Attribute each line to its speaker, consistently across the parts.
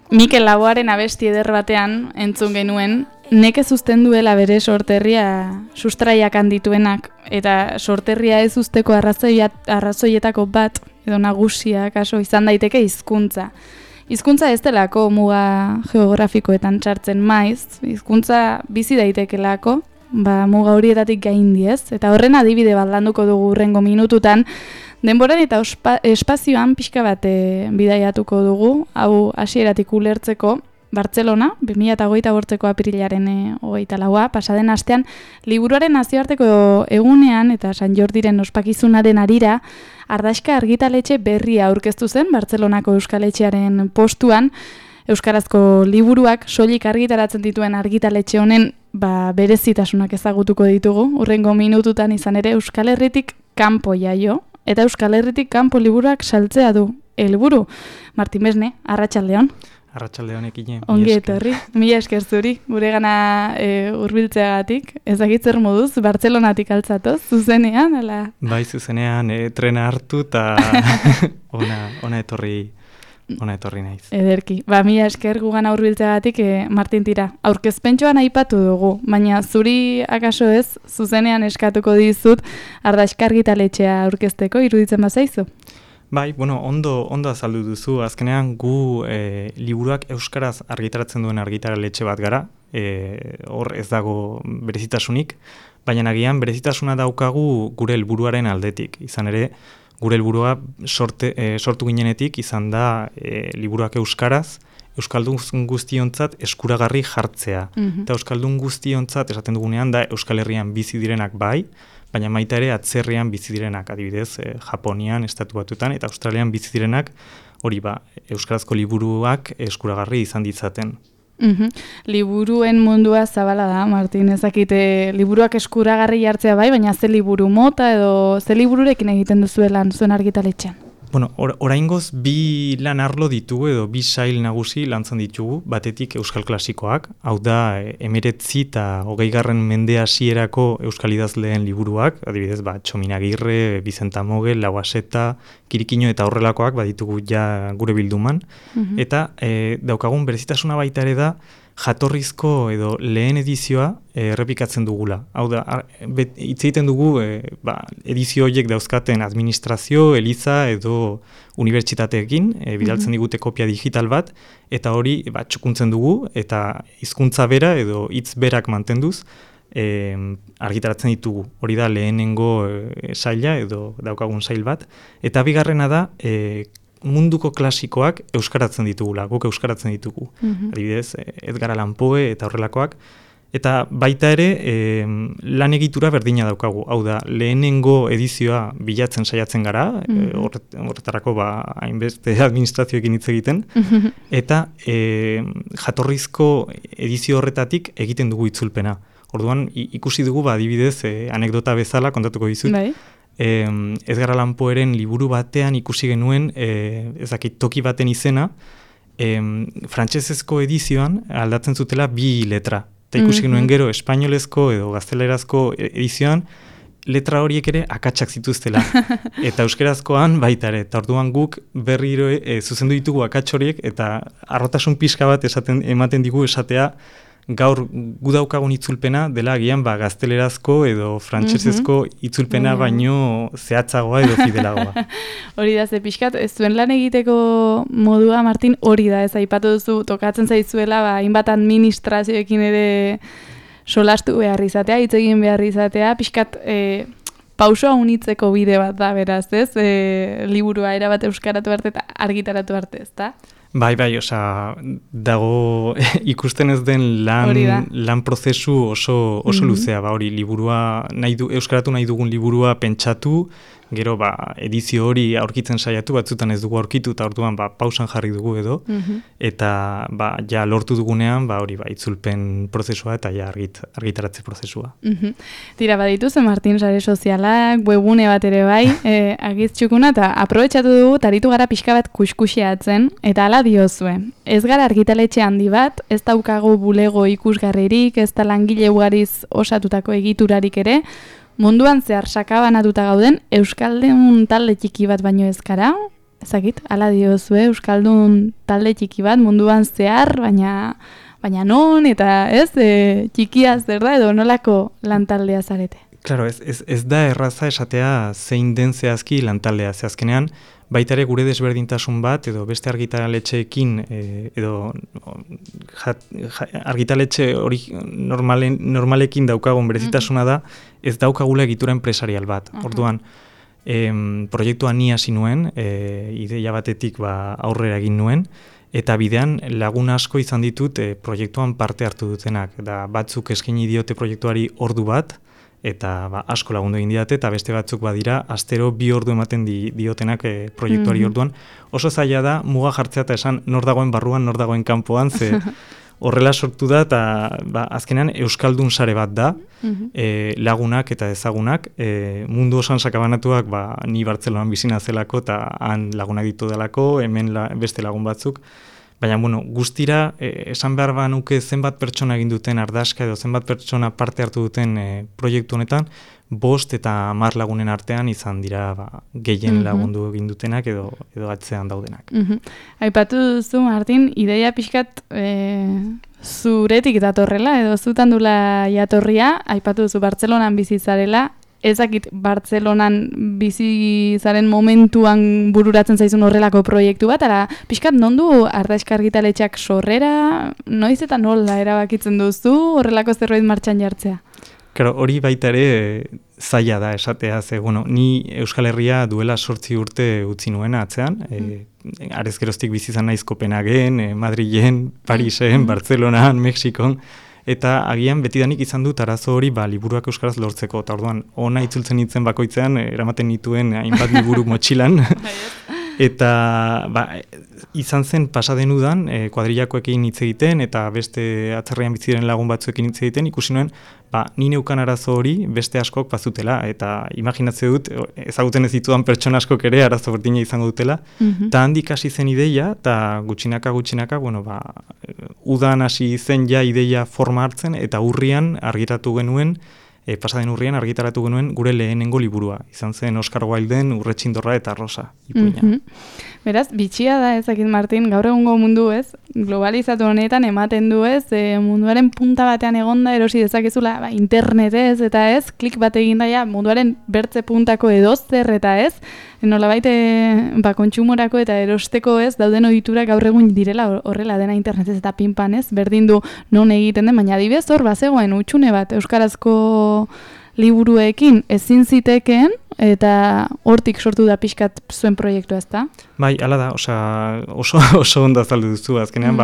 Speaker 1: Mikel Laboaren abesti eder batean entzun genuen, nekez uzten duela bere sorterria sustraiak handituenak, eta sorterria ez usteko arrazoietako bat, edo nagusia, kaso, izan daiteke hizkuntza. Hizkuntza ez delako muga geografikoetan txartzen maiz, hizkuntza bizi daitekelako, muga horietatik gaindi ez, eta horren adibide bat landuko dugu hurrengo minututan, denboran eta espazioan pixka bat bidaiatuko dugu, hau hasieratik ulertzeko, Bartzelona, 2008ko apirilaren 24, pasaden astean, liburuaren nazioarteko egunean eta San Jordiren ospakizunaren harira, Ardazka argitaletxe berria aurkeztu zen Bartzelonako euskaletxearen postuan, euskarazko liburuak soilik argitaratzen dituen argitaletxe honen berezitasunak ezagutuko ditugu, hurrengo minututan izan ere Euskal Herritik kanpo jaio, eta Euskal Herritik kanpo liburuak saltzea du helburu. Martin Besne, arratsaldeon.
Speaker 2: Arratsaldeon ekine.
Speaker 1: Ongi etorri, mila esker zuri, guregana hurbiltzeagatik. Ez dakit zer moduz, Bartzelonatik altzatoz, zuzenean, ala?
Speaker 2: Bai, zuzenean, trena hartu eta ona etorri naiz.
Speaker 1: Ederki, mila esker gugana hurbiltzeagatik, Martin tira. Aurkezpentxoan aipatu dugu, baina zuri akaso ez, zuzenean eskatuko dizut, Ardazka argitaletxea aurkezteko, iruditzen bazaizu?
Speaker 2: Bai, ondo azaldu duzu. Azkenean gu liburuak euskaraz argitaratzen duen argitaletxe bat gara. Hor ez dago berezitasunik, baina agian berezitasuna daukagu gure helburuaren aldetik. Izan ere, gure helburua sortu ginenetik izan da liburuak euskaraz, euskaldun guztiontzat eskuragarri jartzea. Eta euskaldun guztiontzat esaten dugunean da Euskal Herrian bizi direnak bai, baina baita ere atzerrian bizi direnak, adibidez, Japonian, Estatu Batuetan eta Australian bizi direnak, hori euskarazko liburuak eskuragarri izan ditzaten.
Speaker 1: Liburuen mundua zabala da, Martin, ezakite liburuak eskuragarri jartzea bai, baina ze liburu mota edo ze libururekin egiten duzuelan zuen argitaletxean?
Speaker 2: Oraingoz bi lan arlo ditugu edo bi sail nagusi lantzen ditugu, batetik euskal klasikoak, hau da 19 eta 20. mende hasierako euskal idazleen liburuak, adibidez, Txominagirre, Bizenta Mogel, Lauaseta, Kirikino eta horrelakoak baditugu ja gure bilduman, eta daukagun berezitasuna baita ere da jatorrizko edo lehen edizioa errepikatzen dugula. Hau da, hitz egiten dugu edizio horiek dauzkaten administrazio, eliza edo unibertsitateekin, bidaltzen digute kopia digital bat, eta hori txukuntzen dugu, eta hizkuntza bera edo hitz berak mantenduz, argitaratzen ditugu. Hori da lehenengo saila edo daukagun sail bat. Eta bigarrena da, munduko klasikoak euskaratzen ditugula, guk euskaratzen ditugu. Adibidez, Edgar Allan Poe eta horrelakoak. Eta baita ere, lan egitura berdina daukagu. Hau da, lehenengo edizioa bilatzen saiatzen gara, horretarako hainbeste administrazioekin hitz egiten, eta jatorrizko edizio horretatik egiten dugu itzulpena. Orduan, ikusi dugu, adibidez, anekdota bezala kontatuko dizut.
Speaker 1: Bai.
Speaker 2: Edgar Allan Poeren liburu batean ikusi genuen, toki baten izena, frantsesezko edizioan aldatzen zutela 2 letra. Eta ikusi genuen gero, espainolezko edo gaztelerazko edizioan, letra horiek ere akatsak zituztela. Eta euskerazkoan baita ere. Eta orduan guk berriro zuzendu ditugu akats horiek, eta harrotasun pixka bat ematen digu esatea, gaur gu daukagun itzulpena dela agian gaztelerazko edo frantsesezko itzulpena baino zehatzagoa edo fidelagoa.
Speaker 1: Hori da, ze pixkat, ez zuen lan egiteko modua, Martin, hori da, ez aipatu duzu, tokatzen zaizuela, hainbat administrazioekin ere solastu behar izatea, hitz egin behar izatea, pixkat pausoa unitzeko bide bat da, beraz, ez? Liburua erabat euskaratu arte eta argitaratu arte, ez da?
Speaker 2: Bai, dago ikusten ez den lan prozesu oso luzea, hori liburua euskaratu nahi dugun liburua pentsatu, gero edizio hori aurkitzen saiatu, batzutan ez dugu aurkitu, eta orduan pausan jarri dugu edo, eta ja lortu dugunean, hori itzulpen prozesua eta ja argitaratze prozesua.
Speaker 1: Tira, badituzen Martin sare sozialak, webgune bat ere bai, agiztxukuna, eta aprobetxatu dugu, taritu gara pixka bat kuskuxeatzen, eta ala diozue. Ez gara argitaletxe handi bat, ez daukagu bulego ikusgarririk, ez da langile ugariz osatutako egiturarik ere, munduan zehar sakabanatuta gauden, euskaldun talde txiki bat baino ez gara, ezagit, hala diozue, Euskaldun talde txiki bat munduan zehar, baina non, eta ez, txikia zer da, edo nolako lantaldea zarete?
Speaker 2: Claro, ez da erraza esatea zein den zehazki lantaldea. Zehazkenean, baita ere gure desberdintasun bat, edo beste argitaletxeekin, edo argitaletxe hori normalekin daukagun berezitasuna da, ez daukagula egitura enpresarial bat. Orduan, proiektua ni hasi nuen, ideia batetik aurrera egin nuen, eta bidean lagun asko izan ditut proiektuan parte hartu dutenak. Da, batzuk eskaini diote proiektuari ordu bat, eta asko lagundu egin didate, eta beste batzuk badira, astero 2 ordu ematen diotenak proiektuari orduan. Oso zaila da, muga jartzea eta esan nor dagoen barruan, nor dagoen kanpoan, ze horrela sortu da, eta azkenean Euskaldun sare bat da, lagunak eta ezagunak, mundu osan sakabanatuak ni Bartzelonan bizina zelako, eta han lagunak ditu delako, hemen beste lagun batzuk. Baina, guztira, esan behar nuke zenbat pertsona egin duten ardaska edo zenbat pertsona parte hartu duten proiektu honetan, 5 eta 10 lagunen artean izan dira gehien lagundu egin dutenak edo atzean daudenak.
Speaker 1: Aipatu duzu, Martin, ideia pixkat zuretik datorrela edo zutan dula jatorria, aipatu duzu Bartzelonan bizi zarela, ezakit Bartzelonan bizi zaren momentuan bururatzen zaizun horrelako proiektu bat, ara pixkat non du Ardaiska argitaletxeak sorrera, noiz eta nola erabakitzen duzu horrelako zerbait martxan jartzea?
Speaker 2: Claro, hori baita ere zaila da esatea, ze, ni Euskal Herria duela 8 urte utzi nuen atzean, arez geroztik bizi izan naiz Kopenhagen, Madrilen, Parisen, Bartzelonan, Mexikon, eta agian betidanik izan dut arazo hori liburuak euskaraz lortzeko, eta orduan ona itzultzen nintzen bakoitzean, eramaten nituen hainbat liburu motxilan, eta izan zen pasaden udan, kuadrillakoekin hitz egiten, eta beste atzerrian bizi diren lagun batzuekin hitz egiten, ikusi nuen, ni neukan arazo hori beste askok bazutela, eta imaginatzen dut, ezaguten ez ditudan pertsona askok ere arazo berdina izango dutela, eta handik hasi zen ideia, eta gutxinaka, udan hasi zen ja ideia forma hartzen, eta urrian argitaratu genuen, pasaden urrian argitaratu genuen gure lehenengo liburua. Izan zen Oscar Wilden Urretxindorra eta Rosa ipuina.
Speaker 1: Beraz, bitxia da ezakit, Martin, gaur egungo mundu ez, globalizatu honetan ematen du ez, munduaren punta batean egonda erosi dezakezula internetez eta ez, klik bat egin daia munduaren bertze puntako edozer eta ez, nolabait kontsumorako eta erosteko ez, dauden ohiturak gaur egun direla horrela dena internetez eta pinpan ez, berdin du non egiten den, baina adibidez hor bazegoen hutsune bat euskarazko liburuekin ezin zitekeen, eta hortik sortu da pixkat zuen proiektua, ezta?
Speaker 2: Bai, hala da, oso ondo azaldu duzu, azkenean,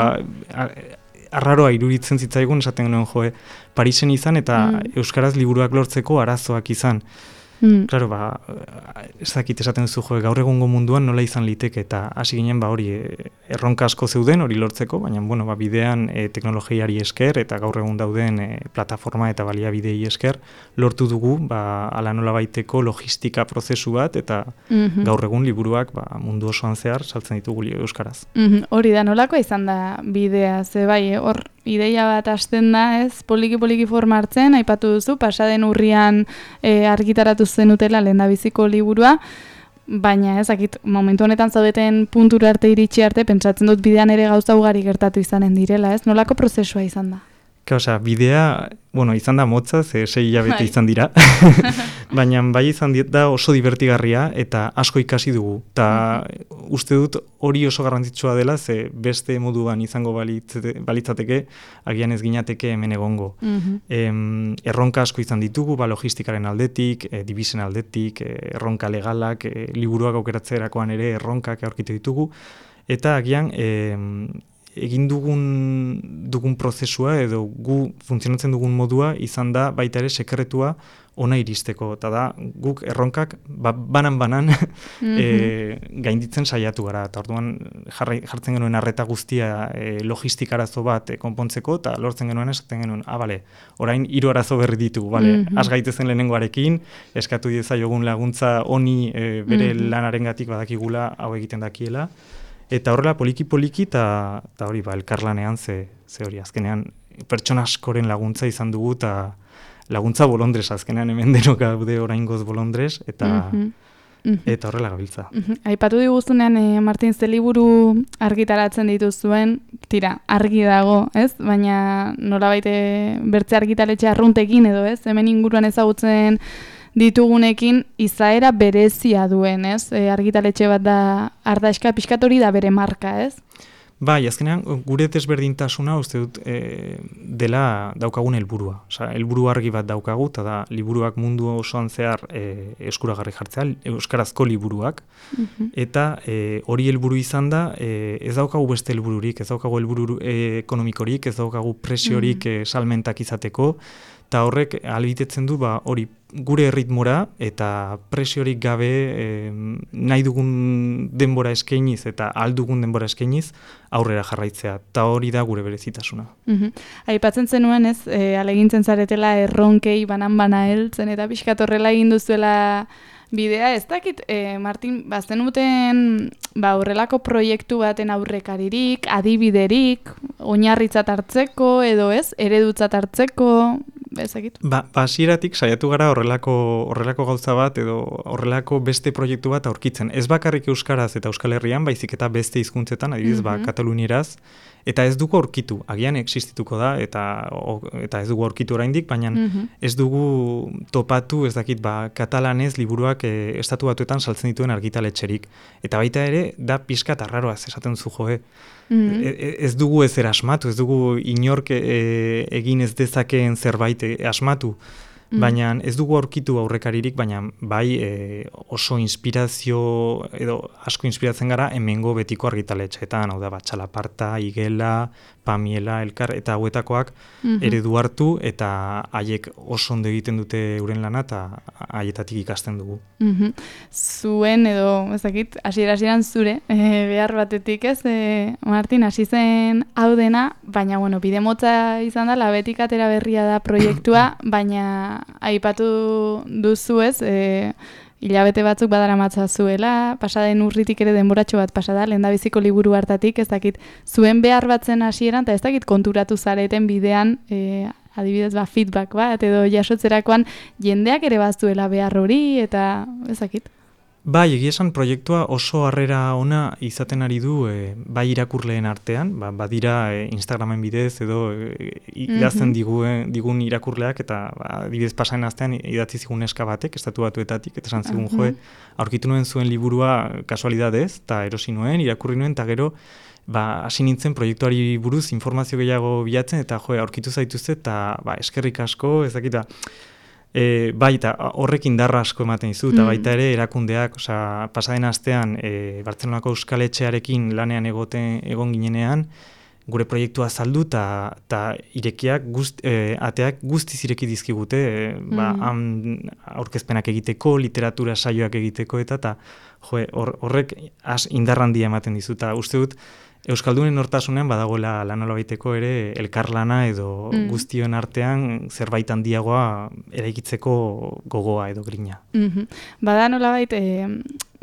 Speaker 2: arraroa iruritzen zitzaigun, esaten genuen Parisen izan, eta euskaraz liburuak lortzeko arazoak izan. Claro, ez dakit esaten duzu, gaur egungo munduan nola izan liteke, eta hasi ginen hori erronka asko zeuden hori lortzeko, baina bidean teknologiari esker eta gaur egun dauden plataforma eta baliabidei esker lortu dugu ala nola baiteko logistika prozesu bat, eta gaur egun liburuak mundu osoan zehar saltzen ditugu euskaraz.
Speaker 1: Hori da, nolako izan da bidea, ze bai, hor ideia bat hasten da, ez, poliki forma hartzen, aipatu duzu, pasaden urrian argitaratu zenutela lehendabiziko liburua, baina ezakit, momentu honetan zaudeten puntura arte iritsi arte, pentsatzen dut bidean ere gauza ugari gertatu izanen direla, ez? Nolako prozesua izan da?
Speaker 2: Bidea, izan da motza, 6 hilabete izan dira, baina bai izan da oso divertigarria eta asko ikasi dugu. Eta uste dut hori oso garrantzitsua dela, ze beste moduan izango balitzateke, agian ez ginateke hemen egongo. Erronka asko izan ditugu, logistikaren aldetik, dibisen aldetik, erronka legalak, liburuak aukeratzerakoan ere erronkak aurkitu ditugu, eta agian egin dugun prozesua edo gu funtzionatzen dugun modua izan da baita ere sekretua ona iristeko, eta da guk erronkak banan gainditzen saiatu gara, eta orduan jartzen genuen arreta guztia logistikarazo bat konpontzeko, eta lortzen genuen esaten genuen, orain 3 arazo berri ditugu, has gaitezen lehenengoarekin, eskatu diezaiogun laguntza honi bere lanarengatik badakigula hau egiten dakiela, eta horrela poliki eta hori elkarlanean ze hori azkenean pertsona askoren laguntza izan dugu, eta laguntza bolondrez azkenean hemen denok gaude oraingoz bolondrez, eta eta horrela gabiltza.
Speaker 1: Aipatu diguzunean, Martin, ze liburu argitaratzen dituzuen, tira, argi dago, ez? Baina nolabait bertze argitaletxe arruntekin edo, ez? Hemen inguruan ezagutzen ditugunekin izaera berezia duen, ez? Argitaletxe bat da Ardaiska, pixkat hori da bere marka, ez?
Speaker 2: Bai, azkenean, gure desberdintasuna uste dut dela daukagun helburua. Osea, helburu argi bat daukagu, eta da liburuak mundu osoan zehar eskuragarri jartzea, euskarazko liburuak, eta hori helburu izan da, ez daukagu beste helbururik, ez daukagu helburu ekonomikorik, ez daukagu presiorik salmentak izateko, eta horrek ahalbitetzen du hori gure erritmora eta presiorik gabe nahi dugun denbora eskainiz eta ahal dugun denbora eskainiz aurrera jarraitzea, eta hori da gure berezitasuna.
Speaker 1: Aipatzen zenuen, ez, alegintzen zaretela erronkei banan-bana heltzen eta pixkat horrela egin duzuela bidea, ez dakit, Martin, bazenuten horrelako proiektu baten aurrekaririk, adibiderik, oinarritzat hartzeko edo ez, eredutzat hartzeko, ezakit?
Speaker 2: Hasieratik saiatu gara horrelako gauza bat edo horrelako beste proiektu bat aurkitzen. Ez bakarrik euskaraz eta Euskal Herrian, baizik eta beste hizkuntzetan, adibidez, katalunieraz, eta ez dugu aurkitu, agian existituko da, eta ez dugu aurkitu oraindik, baina ez dugu topatu, ez dakit, katalanez liburuak estatu batuetan saltzen dituen argitaletxerik. Eta baita ere, da pixkat arraroaz esaten zu joe. Ez dugu ezer asmatu, ez dugu inork egin ez dezakeen zerbait asmatu, baina ez dugu aurkitu aurrekaririk, baina bai oso inspirazio, edo asko inspiratzen gara hemengo betiko argitaletxeetan, hau da, Txalaparta, Igela, Pamiela, Elkar, eta hauetakoak eredu hartu, eta haiek oso ondo egiten dute euren lana, eta haietatik ikasten dugu.
Speaker 1: Zuen, edo, ezakit, hasieran zure, behar batetik ez, Martin, hasi zen hau dena, baina, bide motza izan da, labetik atera berria da proiektua, baina aipatu duzu ez, hilabete batzuk badaramatza zuela, pasaden urritik ere denboratxo bat pasada, lehendabiziko liburu hartatik, ez dakit, zuen behar batzen hasieran, eta ez dakit konturatu zareten bidean, adibidez, feedback bat, edo jasotzerakoan jendeak ere bazuela behar hori, eta ez dakit.
Speaker 2: Bai, egia esan proiektua oso harrera ona izaten ari du bai irakurleen artean, badira Instagramen bidez edo idazten digun irakurleak, eta adibidez pasaden astean idatzi zigun neska batek, estatu batuetatik, eta esan zigun joe, aurkitu nuen zuen liburua kasualidadez, eta erosi nuen, irakurri nuen, eta gero hasi nintzen proiektuari buruz informazio gehiago bilatzen, eta aurkitu zaituzte, eta eskerrik asko, ez dakita, bai, eta horrek indarra asko ematen dizu, eta baita ere erakundeak, pasaden astean Bartzelonako Euskal Etxearekin lanean egon ginenean, gure proiektua saldu eta irekiak ateak guztiz ireki dizkigute, aurkezpenak egiteko, literatura saioak egiteko, eta horrek indar handia ematen dizu, eta uste dut Euskaldunen hortasunean badagoela lanola baiteko ere elkarlana edo guztion artean zerbait handiagoa eraikitzeko gogoa edo grina.
Speaker 1: Bada nolabait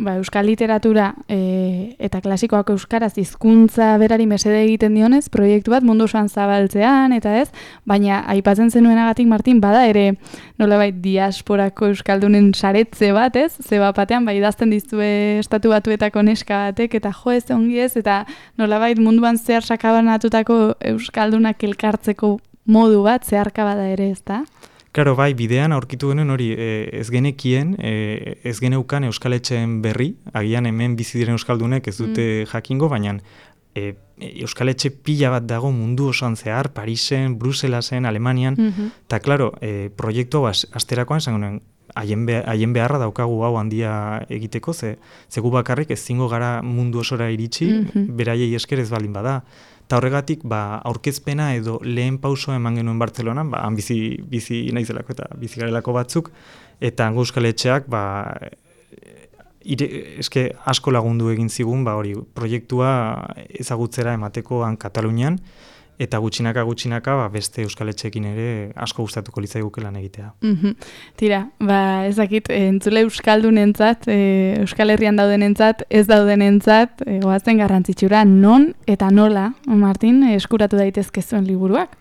Speaker 1: euskal literatura eta klasikoak euskaraz hizkuntza berari mesede egiten dionez, proiektu bat mundu osoan zabaltzean, eta ez, baina aipatzen zenuenagatik, Martin, bada ere nolabait diasporako euskaldunen saretze bat, ez? Zeba batean, idazten dizue estatu batuetako neska batek, eta jo ez ongi ez, eta nolabait munduan zehar sakabanatutako euskaldunak elkartzeko modu bat, zeharka bada ere, ez da?
Speaker 2: Claro, bai, bidean aurkitu genuen hori ez genekien, ez geneukan euskaletxeen berri, agian hemen bizi diren euskaldunek ez dute jakingo, baina euskaletxe pila bat dago mundu osoan zehar, Parisen, Bruselasen, Alemanian, eta claro, proiektu asterakoan esan genuen, haien beharra daukagu hau handia egiteko, zegu bakarrik ezingo gara mundu osora iritsi, beraiei esker ez baldin bada. Eta horregatik, aurkezpena edo lehen pausoa eman genuen Bartzelonan, han bizi naizelako eta bizi garelako batzuk, eta hango euskaletxeak, eske asko lagundu egin zigun, hori proiektua ezagutzera emateko han Katalunian, eta gutxinaka beste euskaletxeekin ere asko gustatuko litzaiguke lan egitea.
Speaker 1: Tira, ezakit, entzule euskaldunentzat, Euskal Herrian daudenentzat, ez daudenentzat, goazen garrantzitsura non eta nola, Martin, eskuratu daitezke zuen liburuak?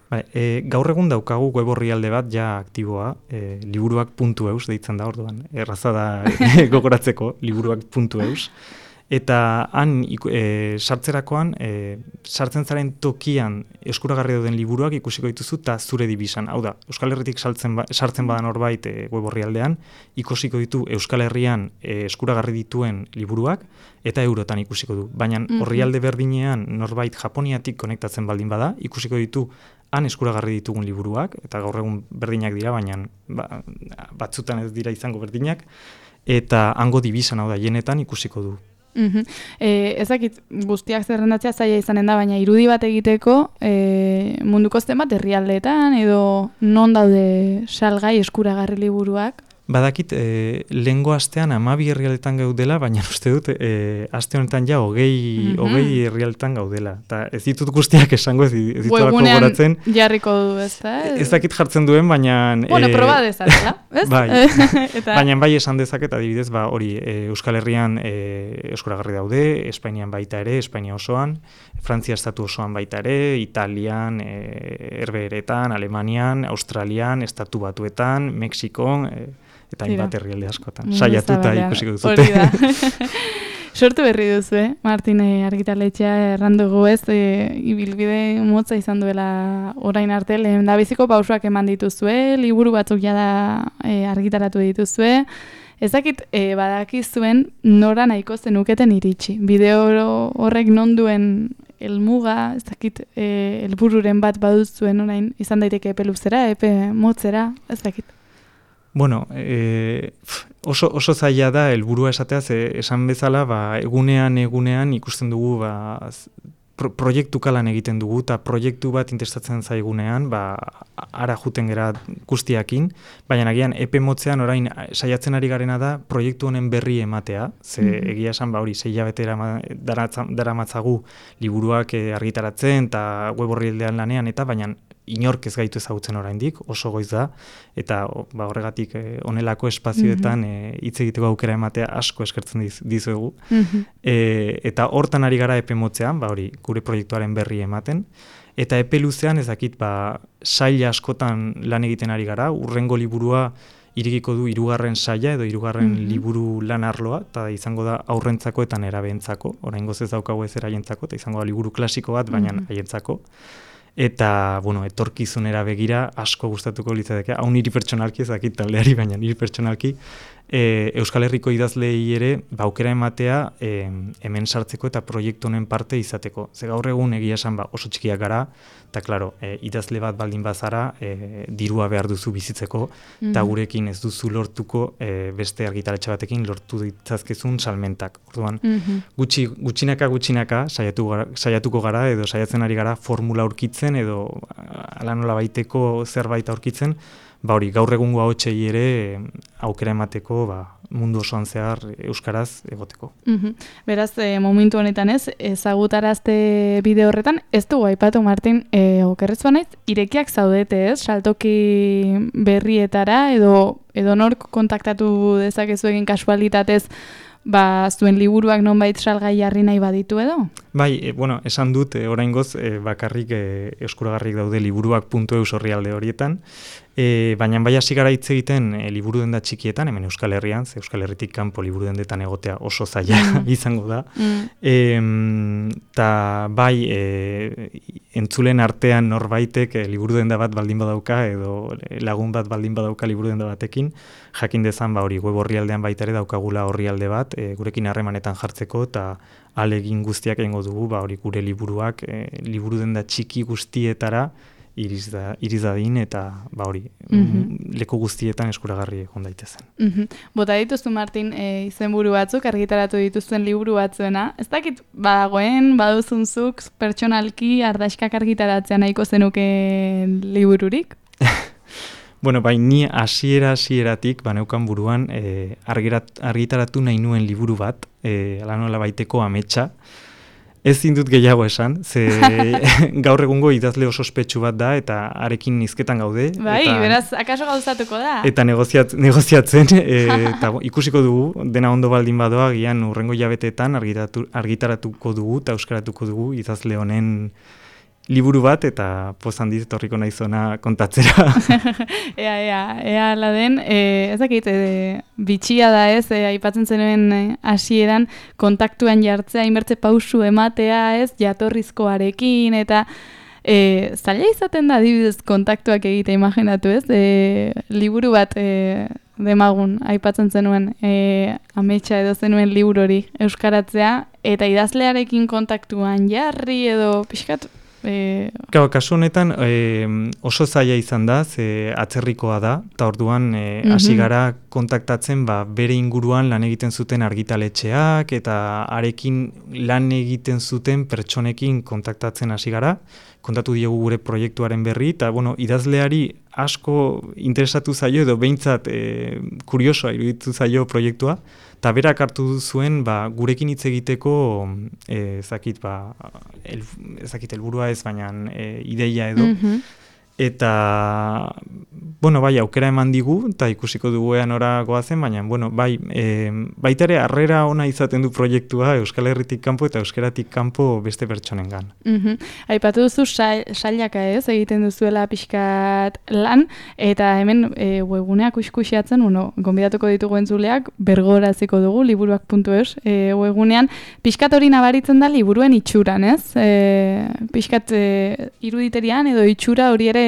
Speaker 2: Gaur egun daukagu web orrialde bat ja aktiboa, liburuak.eus deitzen da orduan, erraza da gogoratzeko, liburuak.eus. Eta han sartzerakoan, sartzen zaren tokian eskuragarri dauden liburuak ikusiko dituzu eta zure dibisan. Hau da, Euskal Herritik sartzen badan norbait web orrialdean, ikusiko ditu Euskal Herrian eskuragarri dituen liburuak eta eurotan ikusiko du. Baina orrialde berdinean norbait Japoniatik konektatzen baldin bada, ikusiko ditu han eskuragarri ditugun liburuak, eta gaur egun berdinak dira, baina batzutan ez dira izango berdinak, eta hango dibisan, hau da, jenetan ikusiko du.
Speaker 1: Ezakit guztiak zerrendatzea zaila izanen da, baina irudi bat egiteko munduko zenbat herrialdeetan edo non daude salgai eskuragarri liburuak?
Speaker 2: Badakit, lehengo astean 12 herrialdetan gaudela, baina uste dut, aste honetan ja 20 herrialdetan gaudela. Eta ez ditut guztiak esango, ez ditudako goratzen.
Speaker 1: Jarriko du, ez da?
Speaker 2: Ez dakit jartzen duen, baina...
Speaker 1: Bueno, proba dezatela, ez?
Speaker 2: Bai, baina bai esan dezaket, adibidez, hori, Euskal Herrian eskuragarri daude, Espainian baita ere, Espainia osoan, Frantzia estatu osoan baita ere, Italian, Herbeheretan, Alemanian, Australian, Estatu Batuetan, Mexikon... eta hainbat herrialde askotan. Saiatuta ikusiko duzute.
Speaker 1: Hori da. Sortu berri duzu, Martin argitaletxea errandugu ez, ibilbide motza izan duela orain arte, lehendabiziko pausoak eman dituzue, liburu batzuk jada argitaratu dituzue, ezakit badakizuen nora nahiko zenuketen iritsi. Bideo horrek non duen helmuga, ezakit helbururen bat baduzuen orain, izan daiteke epe luzera, epe motzera, ezakit.
Speaker 2: Bueno, oso zaila da helburua esatea, esan bezala, egunean ikusten dugu, proiektu kalan egiten dugu, eta proiektu bat interesatzen zaigunean, ara juten gera guztiakin, baina agian epe motzean orain saiatzen ari garena da proiektu honen berri ematea, ze egia esan hori 6 hilabete daramatzagu liburuak argitaratzen eta web orrialdean lanean, eta baina inork ez gaitu ezagutzen oraindik, oso goiz da, eta horregatik honelako espazioetan hitz egiteko aukera ematea asko eskertzen dizuegu. Eta hortan ari gara epe motzean, hori gure proiektuaren berri ematen, eta epe luzean ezakit saila askotan lan egiten ari gara, urrengo liburua irekiko du 3. saila edo 3. liburu lan arloa, eta izango da aurrentzako eta nerabeentzako, oraingoz ez daukagu ez eraientzako, eta izango da liburu klasiko bat, baina haientzako. Eta, etorkizunera begira asko gustatuko litzateke, hau niri pertsonalki, ez dakit taldeari, baina niri pertsonalki, Euskal Herriko idazleei ere aukera ematea hemen sartzeko eta proiektu honen parte izateko. Ze gaur egun egia esan oso txikiak gara, eta klaro, idazle bat baldin bazara, dirua behar duzu bizitzeko, eta gurekin ez duzu lortuko beste argitaletxe batekin lortu ditzazkezun salmentak. Orduan, gutxinaka saiatuko gara, edo saiatzen ari gara formula aurkitzen, edo ala nola baiteko zerbait aurkitzen, hori, gaur egungo ahotsei ere aukera emateko mundu osoan zehar euskaraz egoteko.
Speaker 1: Beraz, momentu honetan ezagutarazte bide horretan, ez dugu aipatu, Martin, okerrez banaiz, irekiak zaudete ez, saltoki berrietara, edo nork kontaktatu dezakezu egin kasualitatez, zuen liburuak nonbait salgai jarri nahi baditu edo?
Speaker 2: Bai, esan dut, oraingoz bakarrik eskuragarrik daude liburuak.eus orrialde horietan, baina bai hasi gara hitz egiten liburu denda txikietan, hemen Euskal Herrian, ze Euskal Herritik kanpo liburu dendetan egotea oso zaila izango da. Ta bai, entzulen artean norbaitek liburu denda bat baldin badauka, edo lagun bat baldin badauka liburu denda batekin, jakin dezan hori web orrialdean baita ere daukagula orrialde bat, gurekin harremanetan jartzeko, eta alegin guztiak egingo dugu, hori gure liburuak, liburu denda txiki guztietara, iriz dadin eta hori leku guztietan eskuragarri egon daitezen.
Speaker 1: Bota dituzu, Martin, izenburu batzuk argitaratu dituzuen liburu batzuena. Ez dakit badagoen, baduzunzuk pertsonalki ardaskak argitaratzea nahiko zenuke libururik?
Speaker 2: Bai, ni hasieratik neukan buruan argitaratu nahi nuen liburu bat, ala nola baiteko ametsa. Ez zindut gehiago esan, ze gaur egungo idazle oso ospetsu bat da, eta arekin hizketan gaude.
Speaker 1: Bai, beraz, akaso gauzatuko da.
Speaker 2: Eta negoziatzen, eta ikusiko dugu, dena ondo baldin badoa, gian urrengo hilabeteetan argitaratuko dugu, eta euskaratuko dugu idazle honen liburu bat, eta poz handiz etorriko naizona kontatzera.
Speaker 1: Ea ala den, ezakit, bitxia da ez, aipatzen zenuen hasieran kontaktuan jartzea, inbertze pausu ematea ez, jatorrizkoarekin, eta zaila izaten da adibidez kontaktuak egite, imaginatu ez, liburu bat demagun, aipatzen zenuen, ametsa edo zenuen liburu hori euskaratzea, eta idazlearekin kontaktuan jarri edo pixkat,
Speaker 2: Kasu honetan oso zaila izan da, ze atzerrikoa da, eta orduan hasi gara kontaktatzen bere inguruan lan egiten zuten argitaletxeak, eta arekin lan egiten zuten pertsonekin kontaktatzen hasi gara, kontatu diegu gure proiektuaren berri, eta idazleari asko interesatu zaio edo behintzat kuriosoa iruditu zaio proiektua, eta berak hartu zuen gurekin hitz egiteko ezakit helburua ez, baina ideia edo. Eta, aukera eman digu, eta ikusiko dugu ean ora goazen, baina, baita ere harrera ona izaten du proiektua Euskal Herritik kanpo eta euskeratik kanpo beste pertsonengan.
Speaker 1: Aipatu duzu sailaka ez, egiten duzuela pixkat lan, eta hemen webguneak kuskusiatzen, gonbidatuko ditugu entzuleak, bergoraziko dugu, liburuak.eus webgunean, pixkat hori nabaritzen da liburuen itxuran, ez? Pixkat iruditerian edo itxura hori ere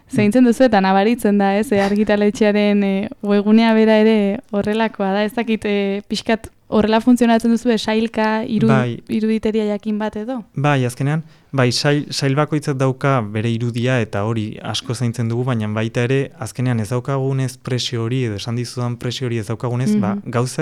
Speaker 1: zeintzen duzu eta nabaritzen da, ez, argitaletxearen webgunea bera ere horrelakoa da, ez dakit pixkat horrela funtzionatzen duzu sailka iruditeria jakin bat edo?
Speaker 2: Bai, azkenean, sail bakoitzak dauka bere irudia eta hori asko zaintzen dugu, baina baita ere azkenean ez daukagunez presio hori edo esan dizudan presio hori ez daukagunez,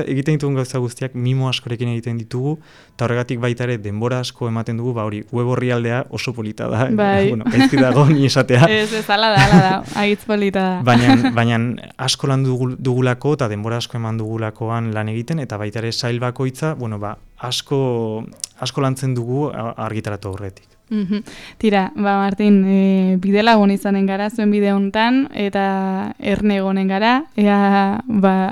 Speaker 2: egiten ditugun gauza guztiak mimo askorekin egiten ditugu, eta horregatik baita ere denbora asko ematen dugu, hori web orrialdea oso polita da, gaizki dago ni esatea.
Speaker 1: Ez, ala da, agitz polita da.
Speaker 2: Baina asko lan dugulako eta denbora asko eman dugulakoan lan egiten, eta baita ere sail bakoitza, asko lantzen dugu argitaratu aurretik.
Speaker 1: Tira, Martin, bidelagun izanen gara zuen bide hontan eta erne egonen gara, ea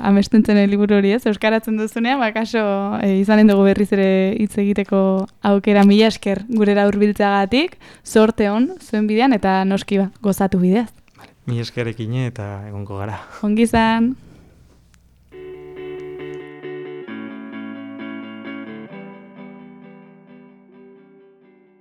Speaker 1: amestentzen liburu hori ez, euskaratzen duzunean, kaso izanen dugu berriz ere hitz egiteko aukera, mila esker gurera hurbiltzeagatik, zorte on zuen bidean eta noski gozatu bideaz.
Speaker 2: Mila eskerekin eta egongo gara.
Speaker 1: Ongi izan.